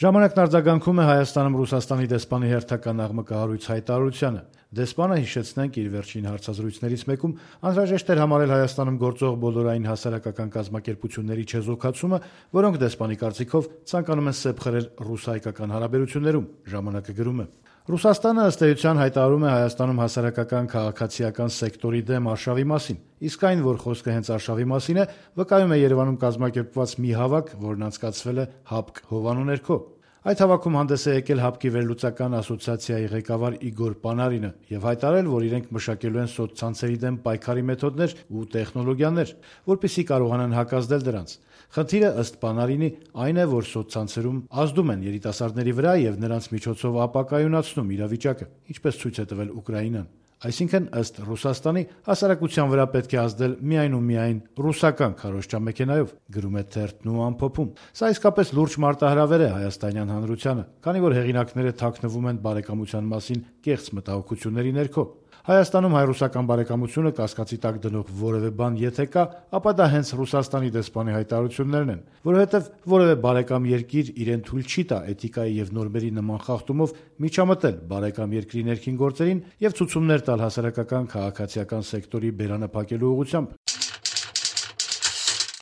Ժամանակն արձագանքում է Հայաստանում Ռուսաստանի դեսպանի հերթական աղմկահարույց հայտարարությանը։ Դեսպանը, հիշեցնենք, իր վերջին հարցազրույցներից մեկում անհրաժեշտ էր համարել Հայաստանում գործող բոլորային հասարակական կազմակերպությունների չեզոքացումը, որոնք դեսպանի կարծիքով ցանկանում են սեպ խրել ռուս-հայկական հարաբերություններում։ Ժամանակը գրում է. Ռուսաստանը ըստ էության հայտարարում է Հայաստանում հասարակական քաղաքացիական սեկտորի դեմ արշավի մասին, իսկ այն, որ խոսքը հենց արշավի մասին է, վկայում է Երևանում կազմակերպված մի հավաք, որն անցկացվել է ՀԱՊԿ հովանու ներքո։ Այդ հավաքում հանդես է եկել ՀԱՊԿ-ի վերլուծական ասոցիացիայի ղեկավար Իգոր Պանարինը եւ հայտարարել, որ իրենք մշակելու են սոցցանցերի դեմ պայքարի մեթոդներ ու տեխնոլոգիաներ, որպեսզի կարողանան հակազդել դրանց։ Խնդիրը, ըստ Պանարինի, այն է, որ սոցցանցերում ազդում են երիտասարդների վրա եւ նրանց միջոցով ապակայունացնում իրավիճակը, ինչպես ցույց է տվել Ուկրաինան։ Այսինքն, ըստ Ռուսաստանի, հասարակության վրա պետք է ազդել միայն ու միայն ռուսական քարոզչամեքենայով, գրում է թերթն ու ամփոփում։ Սա իսկապես լուրջ մարտահրավեր է հայաստանյան հանրությանը, քանի որ հեղինակները թաքնվում են բարեկամության մասին կեղծ մտահոգությունների ներքո։ Հայաստանում հայ-ռուսական բարեկամությունը կասկածի տակ դնող որևէ բան եթե կա, ապա դա հենց Ռուսաստանի դեսպանի հայտարարություններն են, որովհետև որևէ բարեկամ երկիր իրեն թույլ չի տա էթիկայի եւ նորմերի նման խախտումով միջամտել բարեկամ երկրի ներքին գործերին եւ ցուցումներ տալ հասարակական քաղաքացիական սեկտորի բերանը փակելու ուղղությամբ։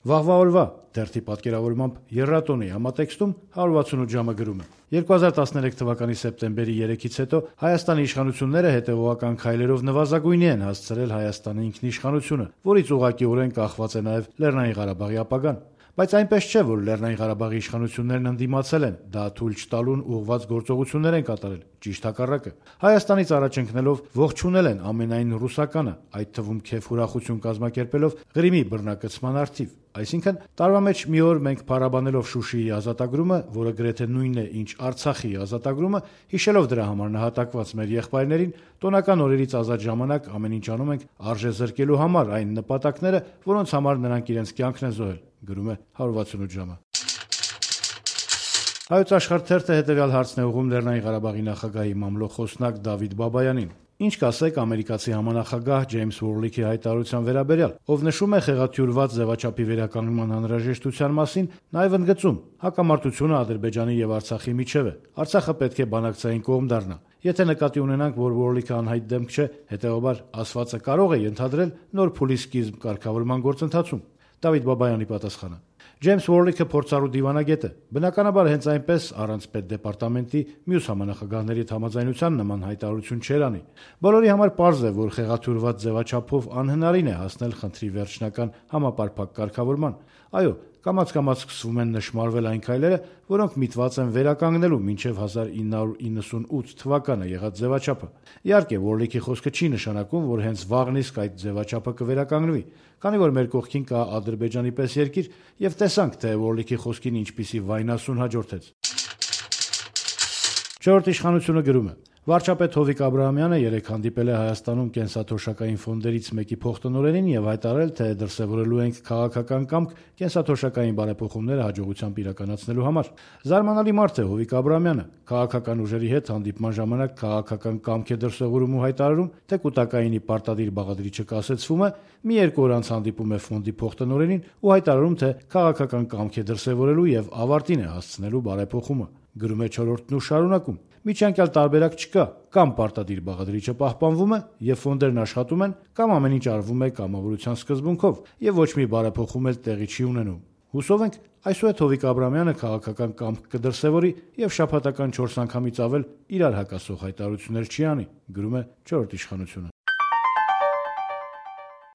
Վաղվա օրվա թերթի պատկերավորմամբ Եռատոնի համատեքստում 168 ժամը գրում է. 2013 թվականի սեպտեմբերի 3-ից հետո Հայաստանի իշխանությունները հետևողական քայլերով նվազագույնի են հասցրել Հայաստանի ինքնիշխանությունը, որից ուղղակիորեն կախված է նաև Լեռնային Ղարաբաղի ապագան։ Բայց այնպես չէ, որ Լեռնային Ղարաբաղի իշխանություններն ընդդիմացել են, դա թույլ չտալուն ուղղված գործողություններ են կատարել, ճիշտ հակառակը։ Հայաստանից առաջ ընկնելով ողջունել են ամենայն ռուսականը, այդ թվում քեֆ ուրախություն կազմակերպելով Ղրիմի բռնակցման առթիվ։ Այսինքն, տարվա մեջ մի օր մենք փառաբանելով Շուշիի ազատագրումը, որը գրեթե նույնն է, ինչ Արցախի ազատագրումը, հիշելով դրա համար նահատակված մեր եղբայրներին, տոնական օրերից ազատ ժամանակ ամեն ինչ անում ենք արժե զրկելու համար այն նպատակները, որոնց համար նրանք իրենց կյանքն են զոհել, գրում է 168 ժամը։ Հայոց Աշխարհ թերթը հետևյալ հարցն է ուղղում Լեռնային Ղարաբաղի նախագահի մամլո խոսնակ Դավիթ Բաբայանին. Ինչ կասեք ամերիկացի համանախագահ Ջեյմս Ուորլիքի հայտարարության վերաբերյալ, ով նշում է խեղաթյուրված ձևաչափի վերականգնման անհրաժեշտության մասին, նաև ընդգծում. հակամարտությունը Ադրբեջանի եւ Արցախի միջև է։ Արցախը պետք է բանակցային կողմ դառնա։ Եթե նկատի ունենանք, որ Ուորլիքը անհայտ դեմք չէ, հետեւաբար ասվածը կարող է ենթադրել նոր փուլի սկիզբ կարգավորման գործընթացում։ Դավիթ Բաբայանի պատասխանը. Ջեյմս Ուորլիքը փորձառու դիվանագետ է։ Բնականաբար հենց այնպես առանց պետդեպարտամենտի մյուս համանախագահների համաձայնության նման հայտարարություն չէր անի։ Բոլորի համար պարզ է, որ խեղաթյուրված ձևաչափով անհնարին է հասնել խնդրի վերջնական համապարփակ կարգավորման։ Այո, կամաց-կամաց սկսվում են նշմարվել այն քայլերը, որոնք միտված են վերականգնելու մինչև 1998 թվականը եղած ձևաչափը։ Իհարկե, Ուորլիքի խոսքը չի նշանակում, որ հենց վաղն իսկ այդ ձևաչափը կվերականգնվի, քանի որ մեր կողքին կա Ադրբեջանի պես երկիր, եւ տեսանք, թե Ուորլիքի խոսքին ինչպիսի վայնասուն հաջորդեց։ Չորրորդ իշխանությունը գրում է. Վարչապետ Հովիկ Աբրահամյանը երեկ հանդիպել է Հայաստանում կենսաթոշակային ֆոնդերից մեկի փոխտնօրենին եւ հայտարարել, թե դրսեւորելու ենք քաղաքական կամք կենսաթոշակային բարեփոխումները հաջողությամբ իրականացնելու համար։ Զարմանալի մարդ է Հովիկ Աբրահամյանը։ Քաղաքական ուժերի հետ հանդիպման ժամանակ քաղաքական կամք է դրսեւորում ու հայտարարում, թե կուտակայինի պարտադիր բաղադրիչը կասեցվում է, մի երկու օր անց հանդիպում է ֆոնդի փոխտնօրենին ու հայտարարում, թե քաղաքական կամք է դրսեւորելու եւ ավարտին է հասցնելու բարեփոխումը։ Գրում է չորրորդն ու շարունակում. Միջանկյալ տարբերակ չկա, կամ պարտադիր բաղադրիչը պահպանվում է եւ ֆոնդերն աշխատում են, կամ ամեն ինչ արվում է կամավորության սկզբունքով եւ ոչ մի բարեփոխում էլ տեղի չի ունենում։ Հուսով ենք, այսուհետ Հովիկ Աբրահամյանը քաղաքական կամք կդրսևորի եւ շաբաթական 4 անգամից ավել իրար հակասող հայտարարություններ չի անի, գրում է չորրորդ իշխանությունը։